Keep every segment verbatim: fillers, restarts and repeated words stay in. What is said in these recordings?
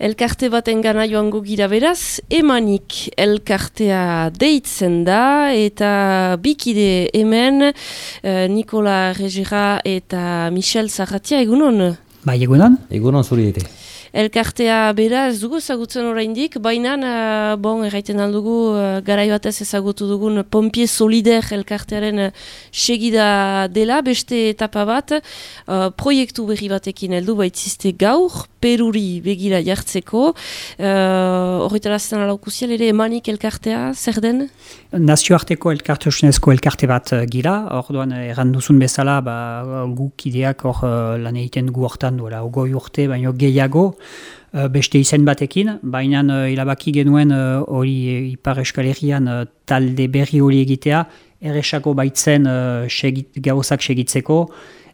Elkarte baten gana joango gira beraz, emanik elkartea deitzen da, eta bikide hemen, uh, Nikola Regera eta Michel Zarratia, egunon? Bai, egunon? Egunon zuri ere. Elkartea bera ez dugu ezagutzen oraindik, baina uh, bon, erraiten aldugu uh, garai batez ezagutu dugun Pompier Solidaire elkartearen uh, segida dela, beste etapa bat, uh, proiektu berri batekin heldu baitziste gaur, Peruri begira jartzeko, uh, horretarazten alaukuzial ere emanik elkartea, zer den? Nazioarteko elkartasunezko elkarte bat uh, gira, orduan erran duzun bezala, ba, guk ideak hor uh, lan egiten gu hortan duela, ogoi urte, baino gehiago, uh, beste izen batekin, baina uh, ilabaki genuen hori uh, Ipar Euskal Herrian uh, talde berri hori egitea, erresako baitzen uh, segit, gauzak segitzeko,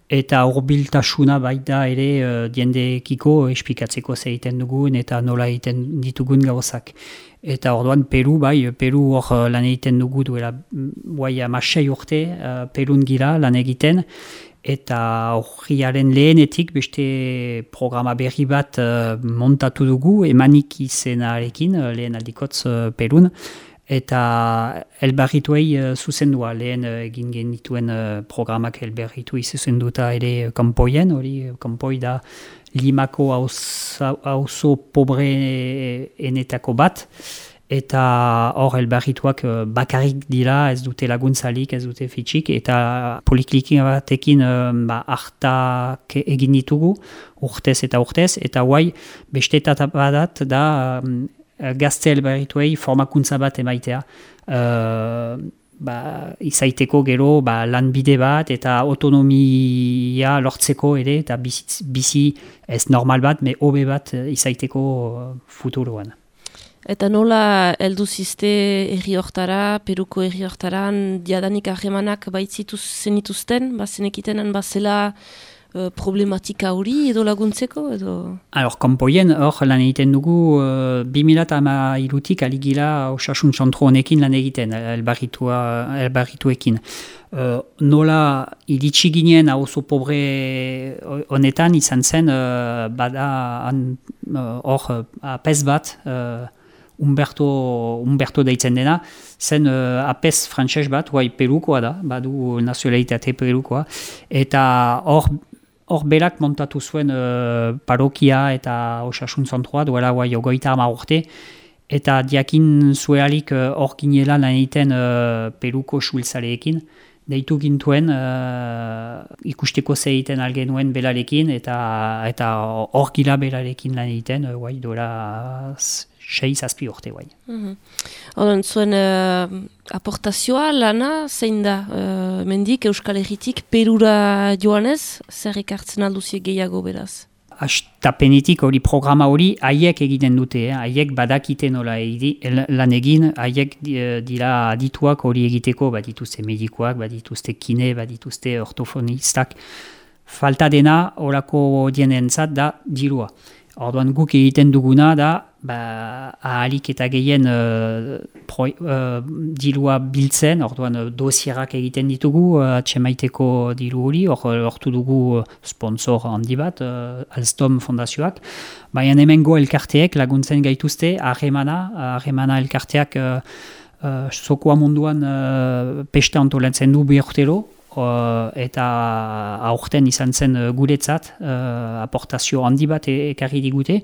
eta hurbiltasuna baita ere uh, diendekiko esplikatzeko zer egiten dugun eta nola egiten ditugun gauzak. Eta orduan Peru, bai, Peru hor lan egiten dugu duela guai amasei urte, uh, Perun gira lan egiten, eta horriaren lehenetik beste programa berri bat uh, montatu dugu, emanik izenarekin, uh, lehen aldikotz uh, Perun, eta elbarrituei uh, zuzendua, lehen uh, egin genituen uh, programak elbarritu zuzenduta ere kanpoien, hori kanpoi da Limako auzo pobreenetako bat, eta hor elbarrituak uh, bakarrik dira, ez dute laguntzalik, ez dute fitxik, eta poliklikin batekin uh, ba, hartak egin ditugu, urtez eta urtez, eta guai beste etapa bat da um, gazte elbarrituei formakuntza bat emaitea. Uh, ba, izaiteko gero ba, lanbide bat eta autonomia lortzeko ere eta bizi, bizi ez normal bat, me hobe bat izaiteko futuroan. Eta nola heldu ziste herri hortara, Peruko herri hortaran, diadanik ahemanak baitzituz zenituzten, bazenekitenan bazela Uh, problematika hori edo laguntzeko edo? Alor, kanpoien hor lan egiten dugu uh, bi mila hamairutik aligila osasun zentro honekin lan egiten, elbarrituekin. Uh, nola iritsi ginen auzo pobre honetan izan zen uh, bada hor uh, apez bat, uh, Umberto, Umberto deitzen dena, zen uh, apez frantses bat, guai Perukoa da, badu nazionalitate Perukoa, eta hor Hor berak montatu zuen uh, parokia eta osasun zentroa duela guai ogoita ama urte, eta diakin zuealik hor uh, ginela lan egiten uh, Peruko sultzaleekin, deitu gintuen uh, ikusteko ze egiten algenuen belarekin, eta eta hor gila belarekin lan egiten, uh, guai duela sei zazpi urte guai. Mm-hmm. Oden, zuen uh, aportazioa, lana, zein da, uh, mendik, Euskal Herritik, Perura joanez, zer ekartzen alduzie gehiago beraz? Astapenetik hori programa hori haiek egiten dute, eh? Haiek badakite nola egi, lan egin, haiek dira adituak hori egiteko, badituzte medikoak, badituzte kine, badituzte ortofonistak. Falta dena horako dienentzat da dirua. Orduan guk egiten duguna da, ba, ahalik eta gehien uh, pro, uh, dilua biltzen, orduan uh, dosierak egiten ditugu, uh, atxemaiteko dilu hori, hortu dugu uh, sponsor handi bat, uh, Alstom fondazioak, baina hemengo elkarteek laguntzen gaituzte, harremana, harremana elkarteak uh, uh, zokoa munduan uh, pesta antolatzen du bi urtero, Uh, eta aurten izan zen uh, guretzat, uh, aportazio handi bat e- ekarri digute,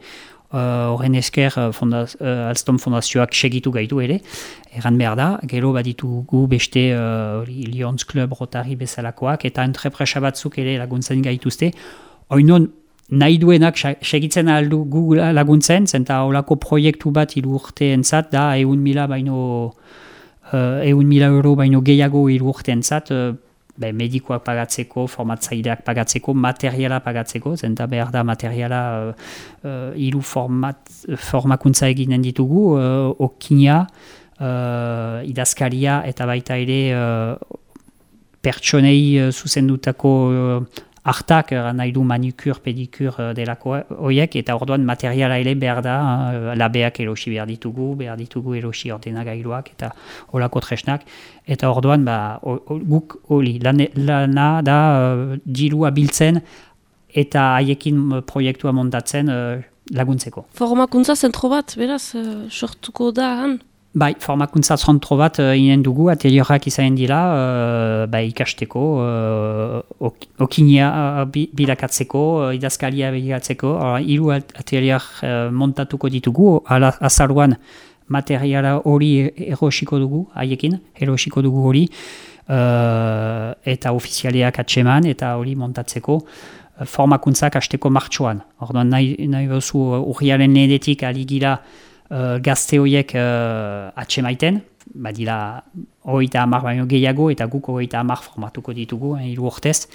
horren uh, esker uh, fondaz, uh, Alstom fondazioak segitu gaitu ere, erran behar da, gero baditugu beste uh, Lions Club Rotary bezalakoak, eta entrepresa batzuk ere laguntzen gaituzte, oinon nahi duenak segitzen aldu gu laguntzen, zenta holako proiektu bat hiru urteentzat da, eun mila baino, uh, eun mila euro baino gehiago hiru urteentzat, uh, Be, medikoak pagatzeko, formatzaileak pagatzeko, materiala pagatzeko, zenta behar da materiala uh, uh, hiru format, formakuntza eginen ditugu, uh, okina, uh, idazkaria eta baita ere uh, pertsonei uh, zuzendutako uh, hartak, nahi du manikur, pedikur delako horiek, eta orduan materiala ere behar da, labeak erosi behar ditugu, behar ditugu erosi ordenagailuak, eta holako tresnak, eta orduan ba, guk hori, lana da, dilua biltzen, eta haiekin proiektua montatzen, laguntzeko. Formakuntza zentro bat, beraz, uh, sortuko da han? Bai, formakuntza zentro bat uh, inen dugu, atelioak izanen dira, uh, bai, ikasteko, uh, ok, okinia uh, bilakatzeko, uh, idazkalia bilakatzeko, hiru atelioak uh, montatuko ditugu, ala, azaruan materiala hori erosiko dugu, haiekin, erosiko dugu hori, uh, eta ofizialeak atseman, eta hori montatzeko, uh, formakuntzak hasteko martxoan. Orduan nahi, nahi bezu urriaren lehenetik ari gira Uh, gazte horiek uh, atsemaiten, badira hogeita hamar baino gehiago eta guk hogeita hamar formatuko ditugu, hiru urtez.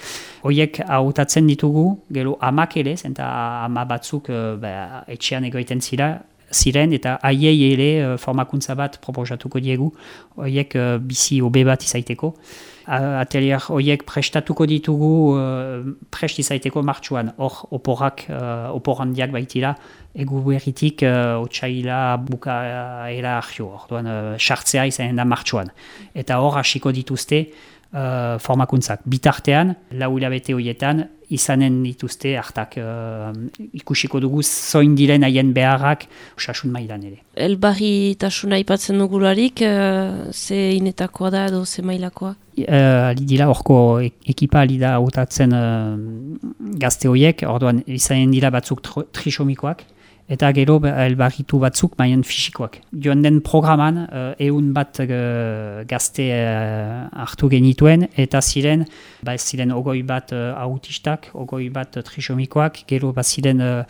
Horiek hautatzen ditugu, gero amak ere, eta ama batzuk uh, ba, etxean egoiten zira, ziren eta haiei ere uh, formakuntza bat proposatuko diegu, horiek uh, bizi hobe bat izaiteko. Atelier horiek prestatuko ditugu uh, prest izaiteko martxuan, hor oporak, uh, opor handiak baitira, egu berritik uh, otsaila bukaera argio, orduan sartzea uh, izanen da martxuan. Eta hor hasiko dituzte uh, formakuntzak. Bitartean, lau hilabete horietan, izanen dituzte hartak uh, ikusiko dugu zoin diren haien beharrak osasun mailan ere. Elbarri tasuna aipatzen dugularik, uh, ze inetakoa da edo ze mailakoa? Uh, dira horko ekipa ali da hautatzen uh, gazte horiek, orduan izanen dira batzuk trisomikoak, eta gero elbarritu batzuk maien fisikoak. Joan den programan, uh, eun bat uh, gazte uh, hartu genituen, eta ziren, ba ziren ogoi bat uh, autistak, ogoi bat uh, trisomikoak, gero ba ziren uh,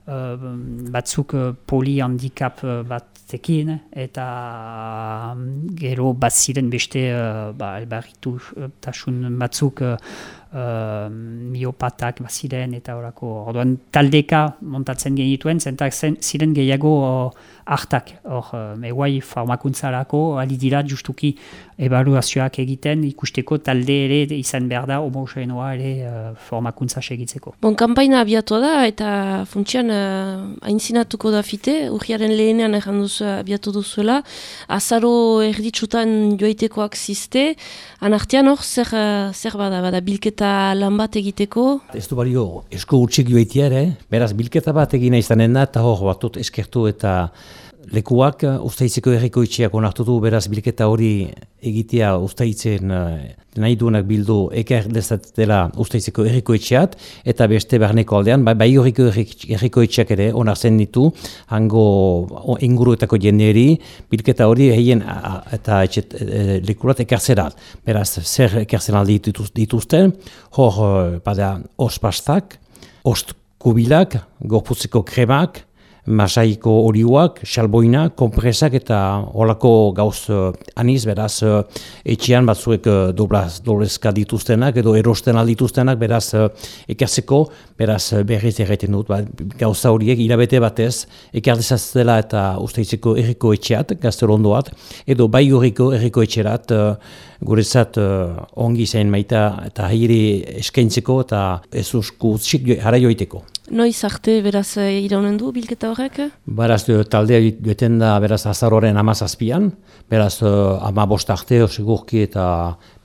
uh, batzuk uh, polihandicap uh, batekin, eta um, gero bat ziren beste uh, ba, elbarritu uh, tasun batzuk uh, Uh, miopatak baziren eta horako. Orduan taldeka montatzen genituen, zentak zen, ziren gehiago uh, hartak. Hor, uh, eguai formakuntzarako ali dira justuki ebaluazioak egiten, ikusteko talde ere izan behar da homogenoa ere uh, formakuntza segitzeko. Bon, kanpaina abiatua da eta funtsian uh, aintzinatuko da fite, urriaren lehenean erran duzu abiatu duzuela, azaro erditsutan joaitekoak ziste, anartean hor zer, uh, zer bada, bada bilketa lan bat egiteko? Ez du balio esko utxik joaitea ere, beraz bilketa bat egina izanen da, eta hor batut eskertu eta lekuak Uztaitzeko herrikoetxeak onartu du, beraz bilketa hori egitea Uztaitzen nahi duenak bildu ekar dezatela Uztaitzeko herrikoetxeat, eta beste barneko aldean, bai, bai horriko herrikoetxeak ere onartzen ditu, hango inguruetako jenderi, bilketa hori egin eta etxet, e, lekurat ekartzerat. Beraz, zer ekartzen aldi dituzten, hor bada ospastak, ostkubilak, gorputzeko kremak, masaiko olioak, xalboina, kompresak eta holako gauz uh, aniz, beraz uh, etxean batzuek uh, doblaz, doblezka dituztenak edo erosten aldituztenak, beraz uh, ekartzeko, beraz uh, berriz erraiten dut, ba, gauza horiek hilabete batez, ekardezaztela eta Uztaitzeko herriko etxeat, gaztelondoat, edo bai horriko herriko etxerat, uh, guretzat uh, ongi zain maita eta hairi eskaintzeko eta ez usku txik jara joiteko. Noiz arte beraz iraunen du bilketa horrek? Beraz taldea joeten da beraz azaroren hamazazpian, beraz ama bost arte segurki eta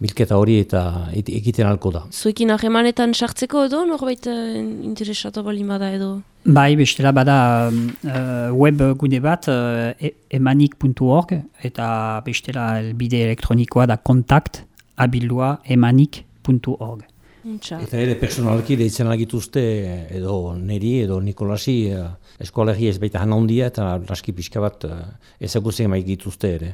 bilketa hori eta egiten halko da. Zuekin harremanetan sartzeko edo norbait interesatu balin bada edo? Bai, bestela bada uh, web gune bat uh, emanik puntu org eta bestela elbide elektronikoa da kontakt abildua emanik puntu org. Eta ere personalki deitzen agituzte edo neri edo Nikolasi eskoalegi ez baita hana hundia eta laski pixka bat ezagutzen maik dituzte ere.